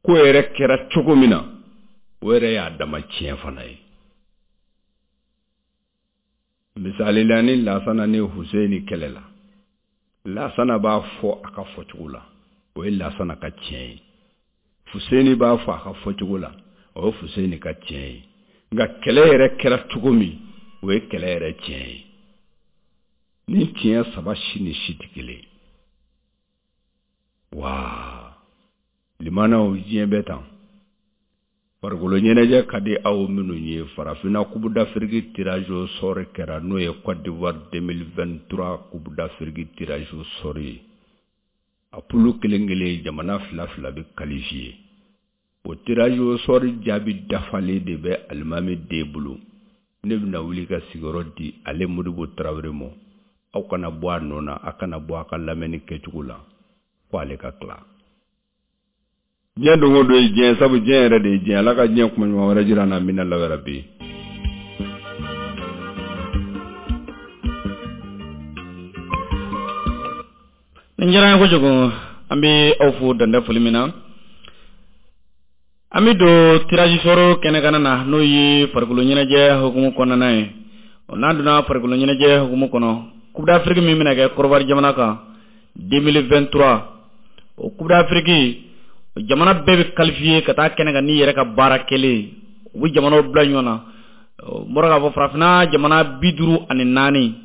Ko yɛrɛ kɛra cogo min na, o yɛrɛ y'a dama tiɲɛ fana ye. Misali la, ni Lasana ni Huseyini kɛlɛla, Lasana b'a fɔ a ka fɔcogo la, o ye Lasana ka tiɲɛ ye. Fuseni b'a fɔ a ka fɔcogo la, o ye Fuseni ka tiɲɛ ye. Nka kɛlɛ yɛrɛ kɛra cogo min, o ye kɛlɛ yɛrɛ tiɲɛ ye. Ni tiɲɛ saba si ni si tɛ kelen. Waa limanaw, diɲɛ bɛ tan. Farikolo ɲɛnajɛ ka di aw minnu ye, farafinna Coupe d'Afrique tirage au sort kɛra, n'o ye Côte d'Ivoire deux mille vingt-trois Coupe d'Afrique tirage au sort ye. A poule kelen kelen, jamana fila fila bɛ qualifié. O tirage au sort jaabi dafalen de bɛ alimami den bolo. Ne bɛna wuli ka sigiyɔrɔ di ale Modibo Tarawele ma. Aw kana bɔ a nɔ na, a kana bɔ a ka lamɛnni kɛcogo la fo ale ka tila. Diɲɛ don o don ye diɲɛ, sabu diɲɛ yɛrɛ de ye diɲɛ. Ala ka diɲɛ kuma ɲuman wɛrɛ jira an na. Min na lawɛrɛ bi. Nin diyara an ye kojugu. An bɛ aw fo dantɛ foli min na. An bɛ don tirage sort kɛnɛkana na, n'o ye farikolo ɲɛnajɛ hukumu kɔnɔna ye. N'an donna farikolo ɲɛnajɛ hukumu kɔnɔ, Coupe d'Afrique min bɛna kɛ Kɔrɔwari jamana kan deux mille vingt-trois, o Coupe d'Afrique, jamana bɛɛ bɛ qualifié ka taa kɛnɛ kan n'i yɛrɛ ka baara kɛlen. U bɛ jamanaw bila ɲɔgɔn na. N bɔra k'a fɔ, farafinna jamana bi duuru ani naani,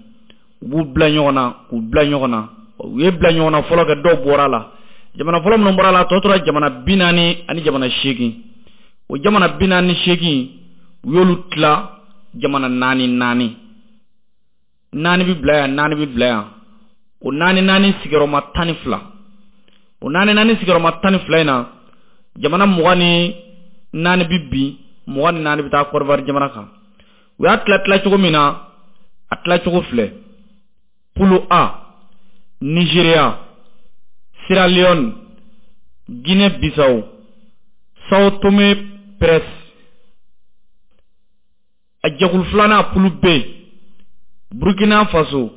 u b'u bila ɲɔgɔn na, k'u bila ɲɔgɔn na. U ye bila ɲɔgɔn na fɔlɔ kɛ, dɔw bɔra a la. Jamana fɔlɔ minnu bɔra a la, tɔ tora jamana bi naani ani jamana seegin. O jamana bi naani ni seegin, u y'olu tila jamana naani naani. Naani bɛ bila yan, naani bɛ bila yan. O naani naani sigiyɔrɔma tan ni fila, o naani naani sigiyɔrɔma tan ni fila in na, jamana mugan ni naani bɛ bin, mugan ni naani bɛ taa Kɔrɔwari jamana kan. U y'a tila tila cogo min na, a tila cogo filɛ: poule A, Nigéria, Sierra Leone, Guinée Bissau, Sao Tomé Principe. A jɛkulu filanan, poule B, Burkina Faso,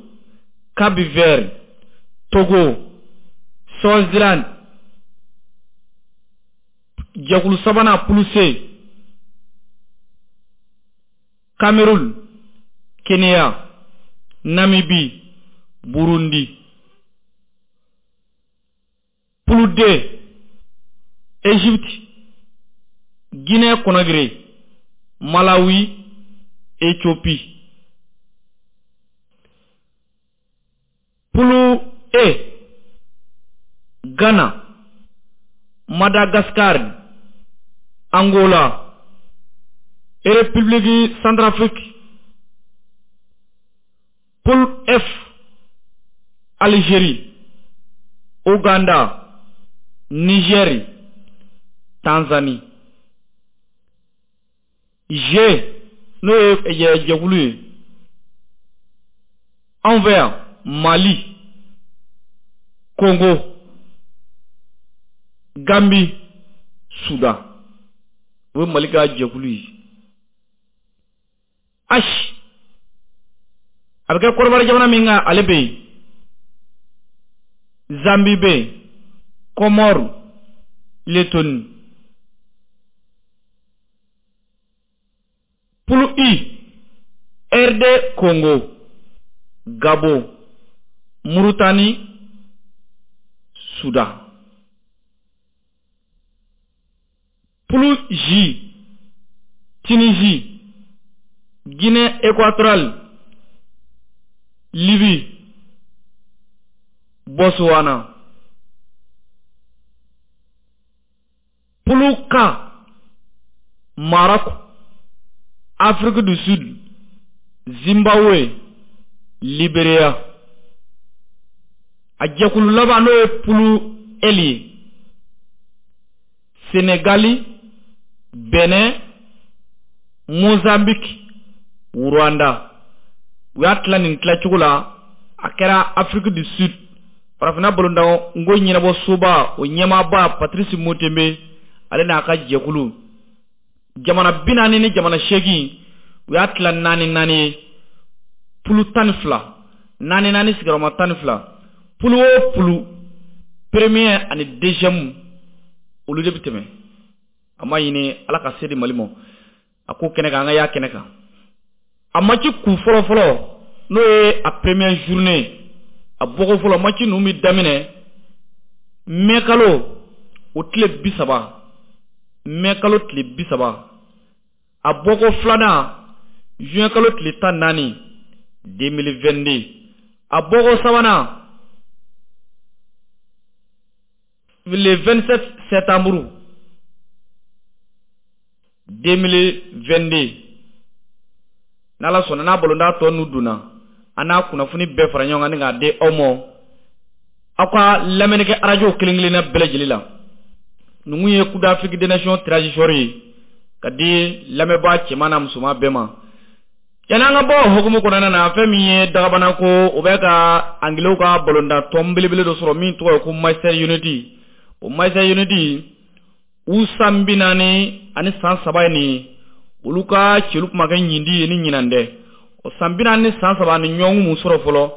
Cap Vert, Togo, Swaziland. Jɛkulu sabanan, poule C, Cameroun, Kenya, Namibie, Burundi. Poule D, Égypte, Guinée Conakry, Malawi, Éthiopie. Poule E, Ghana, Madagascar, Angola, République Centrafrique. Poule F, Algérie, Ouganda, Niger, Tanzanie. G, n'o ye jɛkulu ye anw fɛ yan, Mali, Congo, Gambie, Soudan. O ye Mali ka jɛkulu ye. H, a bɛ kɛ Kɔrɔwari jamana min kan, ale bɛ yen, Zambie bɛ yen, Comores, Lettonie. Poule I, R D Congo, Gabon, Mauritanie, Soudan. Poule J, Tunisie, Guinée équatoriale, Libye, Botswana. Poule K, Maroc, Afrique du Sud, Zimbabwe, Libéria. A jɛkulu laban, n'o ye poule L ye, Sénégali, Benin, Mozambique, Rwanda. U y'a tila nin tilacogo la. A kɛra Afrique du Sud, farafinna balontan n ko ɲɛnabɔ soba, o ɲɛmaaba Patrice Motsepe, ale n'a ka jɛkulu. Jamana bi naani ni jamana seegin, u y'a tila naani naani ye, poule tan ni fila, naani naani, sigiyɔrɔma tan ni fila. Poule o poule, premier ani deuxième, olu de bɛ tɛmɛ. A ma ɲini Ala ka se di Mali ma a ko kɛnɛ kan, an ka y'a kɛnɛ kan. A match kun fɔlɔ fɔlɔ, n'o ye a première journée, a bɔko fɔlɔ, match ninnu bɛ daminɛ mɛ kalo o tile bi saba. mai kalo tile bi saba, a bɔko filanan juin kalo tile tan naani deux mille vingt-deux, a bɔko sabanan le vingt-sept septembre deux mille vingt-deux. N'Ala sɔnna n'a balontan tɔ ninnu donna, an n'a kunnafoni bɛɛ fara ɲɔgɔn kan ni k'a di aw ma aw ka lamɛnni kɛ arajo kelen kelenna bɛɛ lajɛlen la. Ninnu ye Coupe d'Afrique des Nations tirage sort ye ka di lamɛnbaa cɛman n'a musoman bɛɛ ma. Yanni an ka bɔ o hukumu kɔnɔna na, fɛn min ye dagabana ko o bɛ ka Angilew ka balontan tɔn belebele dɔ sɔrɔ min tɔgɔ ye ko Manchester United. O Manchester United u san bi naani ani san saba ye nin ye, olu ka cɛlu kuma kɛ ɲindi ye ni ɲinan dɛ. O san bi naani ni san saba ni ɲɔgɔn mun sɔrɔ fɔlɔ,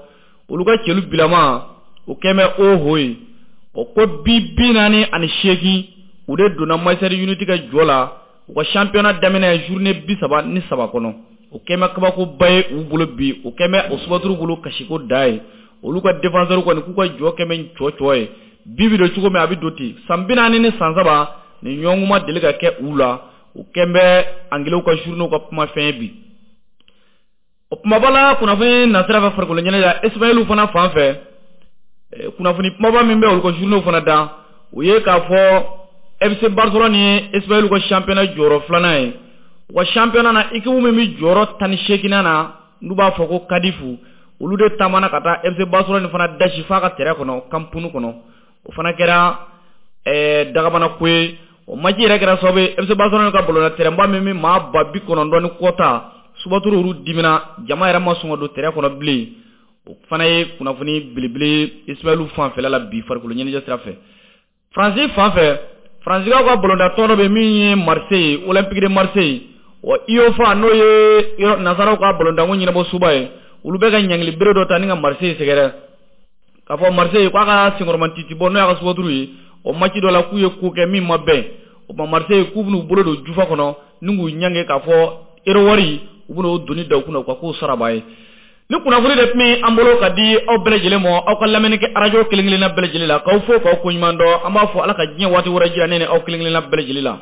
olu ka cɛlu bilama o kɛn bɛ o ho ye. O ko bi bi naani ani seegin u de donna Manchester United ka jɔ la u ka championnat daminɛ journée bi saba ni saba kɔnɔ. O kɛn bɛ kabakoba ye u bolo bi, o kɛn bɛ o subaturu bolo kasiko da ye. Olu ka défenseur kɔni k'u ka jɔ kɛn bɛ cɔ cɔ ye, bi bi don cogo min a bɛ don ten. San bi naani ni san saba ni ɲɔgɔn ma deli ka kɛ u la, o kɛn bɛ Angilew ka journée ka kumafɛn ye bi. O kumaba la kunnafoni nasira fɛ farikolo ɲɛnajɛ la, Espagnol fana fan fɛ, kunnafoni kumaba min bɛ olu ka journée fana da, o ye k'a fɔ F C Barcelone ye Espagnol ka championnat jɔyɔrɔ filanan ye. U ka championnat na équipe min bɛ jɔyɔrɔ tan ni seeginnan na n'u b'a fɔ ko Cardiff, olu de taamana ka taa F C Barcelone fana dasi f'a ka terrain kɔnɔ Camp Nou kɔnɔ. O fana kɛra ɛɛ dagabana ko ye. O match yɛrɛ kɛra sababu ye F C Barcelone ka balontan terrain ba min bɛ maa ba bi kɔnɔntɔn ni kɔ ta, subaturu olu dimina, jama yɛrɛ ma sɔn ka don terrain kɔnɔ bilen. O fana ye kunnafoni belebele Espagnol fanfɛla la bi farikolo ɲɛnajɛ sira fɛ. Faransi fan fɛ, Faransikaw ka balontan tɔn dɔ bɛ min ye Marseille, Olympique de Marseille, wa U E F A n'o ye nansaraw ka balontanko ɲɛnabɔ suba ye, olu bɛ ka ɲangili bere dɔ ta ni ka Marseille sɛgɛrɛ. K'a fɔ Marseille k'a ka senkɔrɔmatiti bɔ n'o y'a ka subaturu ye, o match dɔ la k'u ye ko kɛ min ma bɛn. O ma Marseille k'u bɛn'u bolo don jufa kɔnɔ ni k'u ɲange k'a fɔ euro wari u bɛn'o doni da u kunna u ka k'o saraba ye. Ni kunnafoni de tun bɛ an bolo ka di aw bɛɛ lajɛlen ma, aw ka lamɛnni kɛ arajo kelen kelenna bɛɛ lajɛlen la, k'aw fo k'aw koɲuman dɔn. An b'a fɔ Ala ka diɲɛ waati wɛrɛ jira ne ni aw kelen kelenna bɛɛ lajɛlen la.